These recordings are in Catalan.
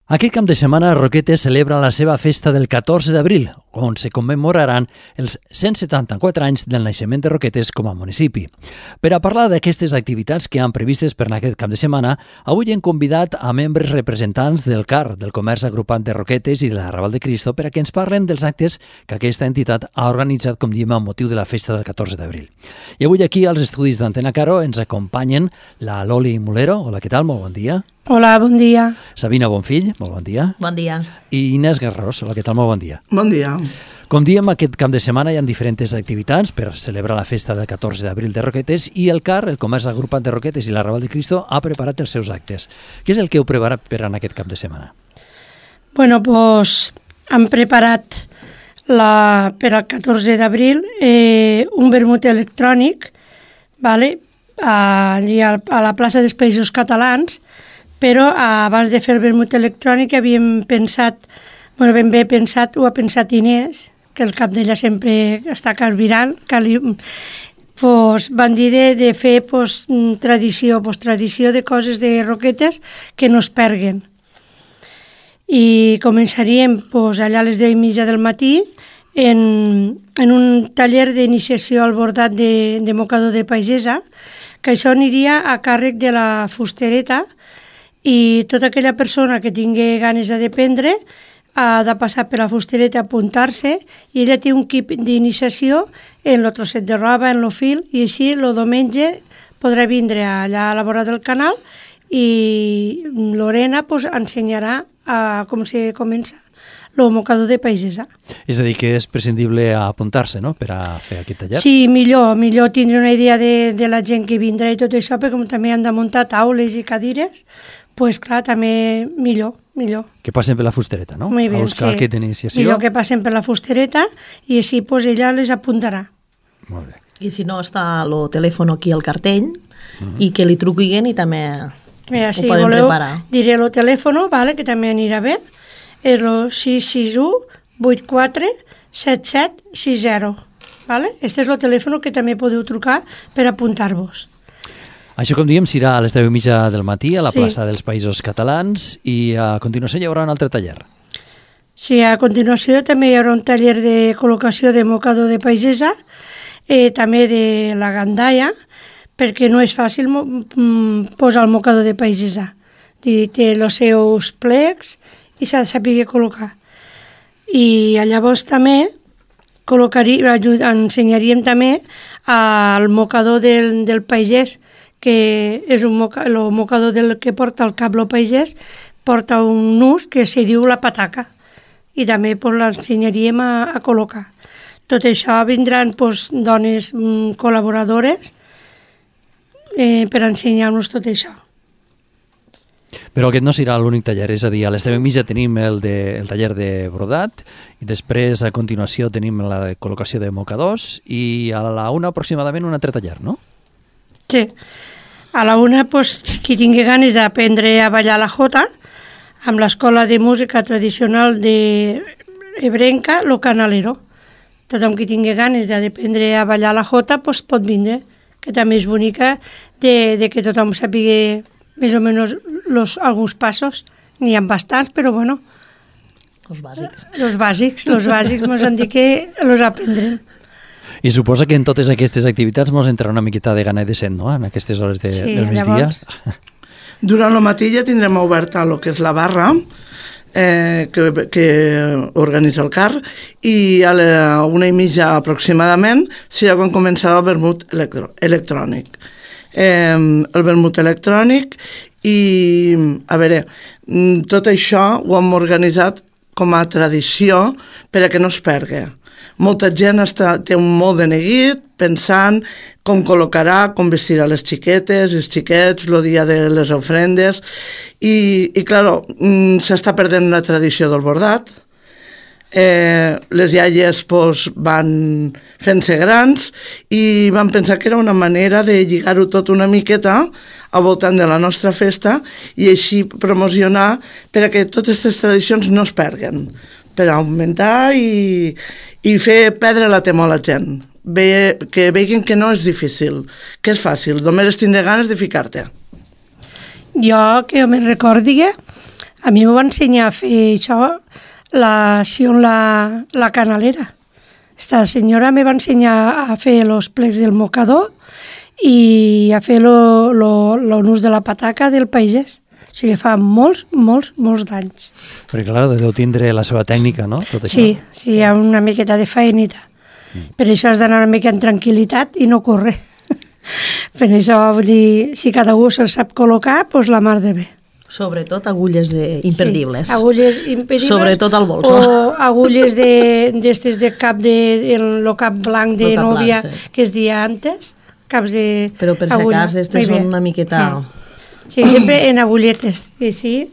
Aquest cap de setmana Roquetes celebra la seva festa del 14 d'abril, on se commemoraran els 174 anys del naixement de Roquetes com a municipi. Per a parlar d'aquestes activitats que han previstes per aquest cap de setmana, avui hem convidat a membres representants del CAR, del Comerç Agrupat de Roquetes i de la Raval de Cristo, per a que ens parlen dels actes que aquesta entitat ha organitzat, com diem, amb motiu de la festa del 14 d'abril. I avui aquí, als estudis d'Antena Caro, ens acompanyen la Loli Mulero. Hola, què tal? Molt bon dia. Hola, bon dia. Sabina Bonfill, molt bon dia. Bon dia. I Inés Garrós, hola, què tal? Molt bon dia. Bon dia. Com diem, aquest cap de setmana hi ha diferents activitats per celebrar la festa del 14 d'abril de Roquetes i el CAR, el Comerç Agrupat de Roquetes i la Raval de Cristo, ha preparat els seus actes. Què és el que heu preparat per en aquest cap de setmana? Bueno, pues han preparat per al 14 d'abril un vermut electrònic, vale? Allí a la plaça dels Països Catalans, però abans de fer el vermut electrònic havíem pensat, ben bé pensat, ho ha pensat Inés, que el cap d'ella sempre està carburant, van dir de fer tradició de coses de Roquetes que no es perguen. I començaríem allà a les 10:30 del matí en un taller d'iniciació al bordat de mocador de pagesa, que això aniria a càrrec de la fustereta, i tota aquella persona que tingui ganes d'aprendre ha de passar per la fustereta, apuntar-se, i ella té un kit d'iniciació en el trosset de roba, en el fil, i així el diumenge podrà vindre allà a la vora del canal i Lorena ensenyarà com se comença el mocador de pagesa. És a dir, que és prescindible apuntar-se, no?, per a fer aquest taller? Sí, millor tindre una idea de la gent que vindrà i tot això, perquè com també han de muntar taules i cadires, doncs clar, també millor. Que passen per la fustereta, no? Muy bien, a buscar sí. kit d'iniciació. Millor que passen per la fustereta i així ella les apuntarà. Molt bé. I si no, està el telèfon aquí al cartell i que li truquin i també Mira, ho poden preparar. Diré el telèfon, que també anirà bé, és el 661 84 77 60. Este és el telèfon que també podeu trucar per apuntar-vos. Això, com diem, serà a les 10:30 del matí a la Sí. plaça dels Països Catalans i a continuació hi haurà un altre taller. Sí, a continuació també hi haurà un taller de col·locació de mocador de pagesa, també de la gandaia, perquè no és fàcil posar el mocador de pagesa. Té els seus plecs i s'ha de saber col·locar. I llavors també ensenyaríem també el mocador del pagès, que és el mocador que porta el cable pagès, porta un nus que se diu la pataca, i també l'ensenyaríem a col·locar. Tot això vindran dones col·laboradores per ensenyar-nos tot això. Però aquest no serà l'únic taller, és a dir, a les 10:30 tenim el taller de brodat i després a continuació tenim la de col·locació de mocadors i a la 1 aproximadament un altre taller, no? Sí. A la 1, qui tingui ganes d'aprendre a ballar la jota, amb l'Escola de Música Tradicional de Ebrenca, lo Canalero. Tothom qui tingui ganes d'aprendre a ballar la jota pot vindre, que també és bonica de que tothom sàpiga més o menys alguns passos. N'hi ha bastants, però bueno. Els bàsics. Els bàsics ens han dit que els aprendrem. I suposa que en totes aquestes activitats ens entrarà una miqueta de gana i de set, no?, en aquestes hores del migdia. Durant el matí ja tindrem oberta el que és la barra que organitza el CAR, i a la 1:30 aproximadament serà quan començarà el vermut electrònic. El vermut electrònic i, a veure, tot això ho hem organitzat com a tradició per a que no es pergui. Molta gent té un molt de neguit pensant com col·locarà, com vestirà les xiquetes, els xiquets, el dia de les ofrendes, i clar, s'està perdent la tradició del bordat. Les iaies van fent-se grans i van pensar que era una manera de lligar-ho tot una miqueta al voltant de la nostra festa i així promocionar per a que totes aquestes tradicions no es perguen, per augmentar i fer perdre la temor a la gent, que vegin que no és difícil, que és fàcil, només tindré ganes de ficar-te. Jo, que me'n recordi, A mi m'ho va ensenyar a fer això, la canalera. Esta senyora me va ensenyar a fer els plecs del mocador i a fer el nus de la pataca del pagès. O sigui, fa molts d'anys. Perquè, clar, deu tindre la seva tècnica, no? Tot això. Sí, hi ha una miqueta de faenita. Per això has d'anar una mica en tranquil·litat i no córrer. Per això, vull dir, si cada un se'l sap col·locar, doncs la mar de bé. Sobretot agulles imperdibles. Sí, agulles impedibles. Sobretot al bols. O agulles d'estes de cap, el cap blanc de nòvia, que es dia antes. Caps de però per si cas, estes són una miqueta... Sí, sempre en agulletes, i sí,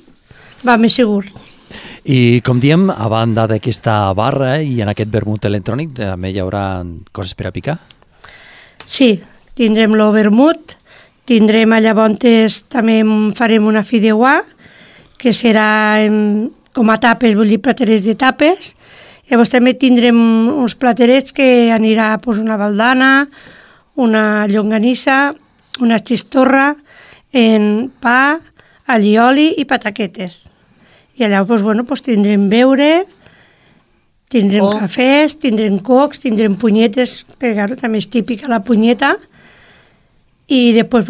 va més segur. I com diem, a banda d'aquesta barra i en aquest vermut electrònic, també hi haurà coses per a picar? Sí, tindrem el vermut, tindrem llavors, també farem una fideuà, que serà com a tapes, vull dir, platerets de tapes. Llavors també tindrem uns platerets que anirà una baldana, una llonganissa, una xistorra, en pa, allioli i pataquetes. I allà tindrem beure, tindrem cafès, tindrem cocs, tindrem punyetes, perquè també és típica la punyeta, i després,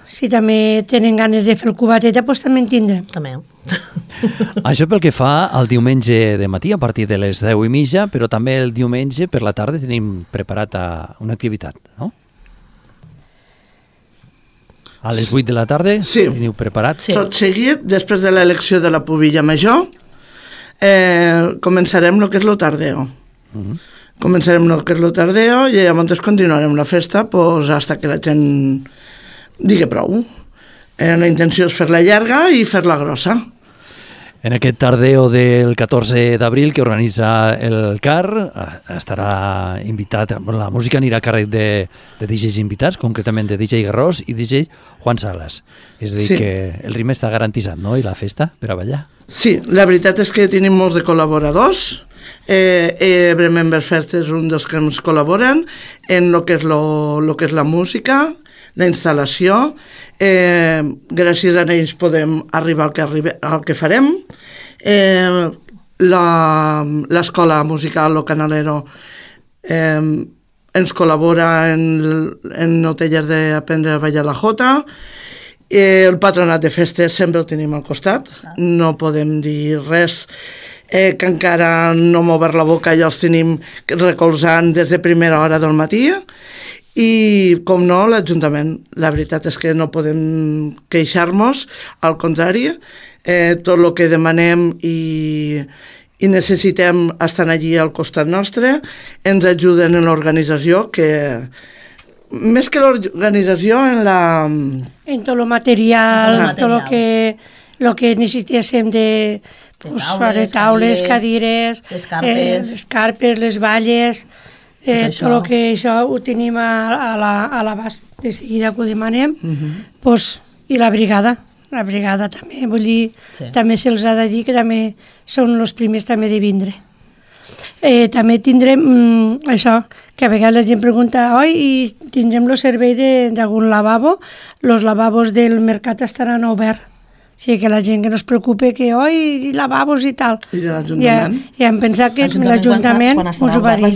si també tenen ganes de fer el cubateta, també en tindrem. També. Això pel que fa al diumenge de matí, a partir de les 10:30, però també el diumenge per la tarda tenim preparat una activitat, no? A les 8 de la tarda teniu preparat? Sí. Tot seguit, després de l'elecció de la pubilla major, començarem el que és el tardeo. Començarem el que és el tardeo i llavors continuarem la festa fins que la gent digui prou. La intenció és fer-la llarga i fer-la grossa. En aquest tardeo del 14 d'abril que organitza el CAR estarà invitat, la música anirà a càrrec de DJs invitats, concretament de DJ Garrós i DJ Juan Salas. És a dir, que el ritme està garantitzat, no?, i la festa per a ballar. Sí, la veritat és que tenim molts de col·laboradors. Remember Fest és un dels que ens col·laboren en el que és la música, la instal·lació. Gràcies a ells podem arribar al que farem. L'escola musical o canalero ens col·labora en el taller d'aprendre a ballar la jota. El patronat de festes sempre el tenim al costat, no podem dir res que encara no hem obert la boca, ja els tenim recolzant des de primera hora del matí. I, com no, l'Ajuntament. La veritat és que no podem queixar-nos, al contrari, tot el que demanem i necessitem estar allí al costat nostre, ens ajuden en l'organització, que més que l'organització, en tot el material, tot el que necessitéssim de taules, cadires, les carpes, les valles, tot el que això ho tenim a l'abast de seguida que ho demanem, i la brigada també, vull dir, també se'ls ha de dir que també són els primers també de vindre. També tindrem això, que a vegades la gent pregunta, i tindrem el servei d'algun lavabo, els lavabos del mercat estaran oberts. O sigui, que la gent que no es preocupe que, i lavabos i tal. I de l'Ajuntament? Ja hem pensat que l'Ajuntament us ho va dir.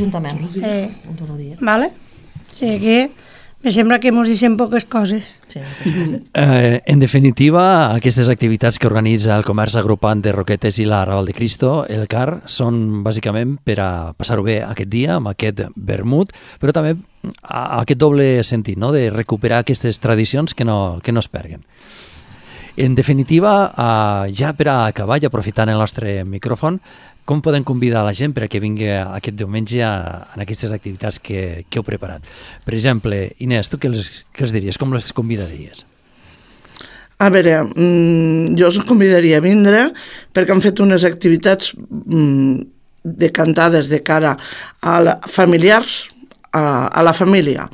Vale? O sigui que me sembla que ens deixem poques coses. En definitiva, aquestes activitats que organitza el comerç agrupant de Roquetes i la Raval de Cristo, el CAR, són bàsicament per a passar-ho bé aquest dia, amb aquest vermut, però també aquest doble sentit, no?, de recuperar aquestes tradicions que no es perden. En definitiva, ja per a acabar i aprofitant el nostre micròfon, com podem convidar la gent per a que vingui aquest diumenge en aquestes activitats que heu preparat? Per exemple, Inés, tu què els diries? Com les convidaries? A veure, jo els convidaria a vindre perquè han fet unes activitats decantades de cara a familiars, a la família.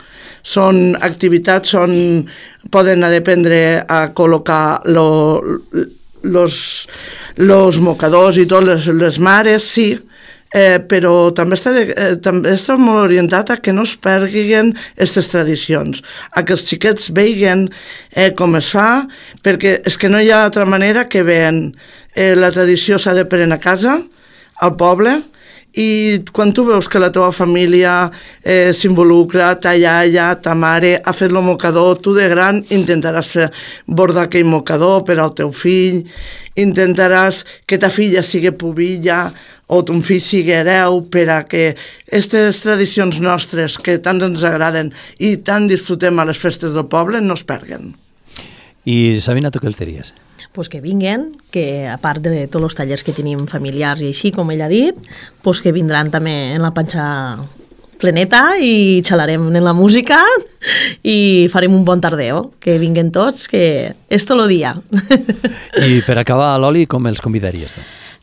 Són activitats on poden aprendre a col·locar los mocadors i tot, les mares, sí, però també està molt orientat a que no es perguin aquestes tradicions, a que els xiquets vegin com es fa, perquè és que no hi ha altra manera que veien la tradició s'ha de prendre a casa, al poble, i quan tu veus que la teva família s'involucra, ta iaia, ta mare, ha fet el mocador, tu de gran intentaràs bordar aquell mocador per al teu fill, intentaràs que ta filla sigui pubilla o ton fill sigui hereu per a que aquestes tradicions nostres que tant ens agraden i tant disfrutem a les festes del poble no es perguen. I Sabina, tu què els diries? Pues que vinguen, que a part de tots els tallers que tenim familiars i així, com ell ha dit, pues que vindran també en la panxa pleneta i xalarem en la música i farem un bon tardeo. Que vinguen tots, que és tot el dia. I per acabar, l'Oli, com els convidaries?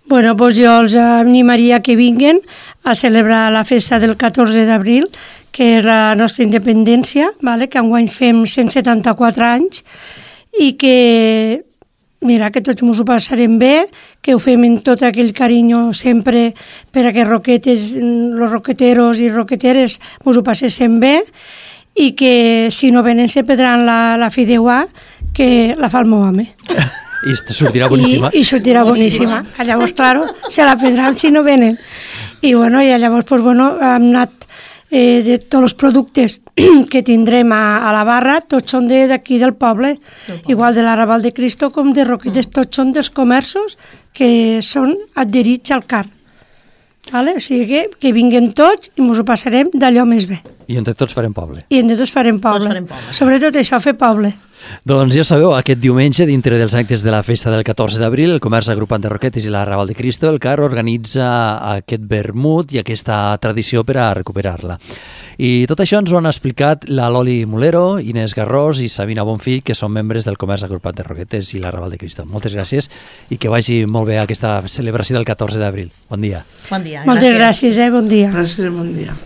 Bueno, pues jo els animaria que vinguen a celebrar la festa del 14 d'abril, que és la nostra independència, vale? Que enguany fem 174 anys, i que mira, que tots ens ho passarem bé, que ho fem en tot aquell carinyo sempre per a que roquetes, los roqueteros i roqueteres ens ho passéssim bé i que si no venen se perdran la fideuà que la fa el meu home. I sortirà boníssima. I sortirà boníssima. Llavors, claro, se la perdran si no venen. I bueno, i llavors, pues, bueno, hem anat de tots els productes que tindrem a la barra, tots són d'aquí del poble, igual de l'Arrabal de Cristo com de Roquetes, tots són dels comerços que són adherits al CAR. Vale? O sigui que vinguen tots i ens ho passarem d'allò més bé. I entre tots farem poble. I entre tots farem poble. Sobretot això, fer poble. Doncs ja sabeu, aquest diumenge, dintre dels actes de la festa del 14 d'abril, el Comerç Agrupat de Roquetes i l'Arrabal de Cristo, el CAR organitza aquest vermut i aquesta tradició per a recuperar-la. I tot això ens ho han explicat la Loli Mulero, Inés Garrós i Sabina Bonfill, que són membres del Comerç Agrupat de Roquetes i l'Arrabal de Cristo. Moltes gràcies i que vagi molt bé aquesta celebració del 14 d'abril. Bon dia. Bon dia. Moltes gràcies, bon dia. Gràcies, bon dia.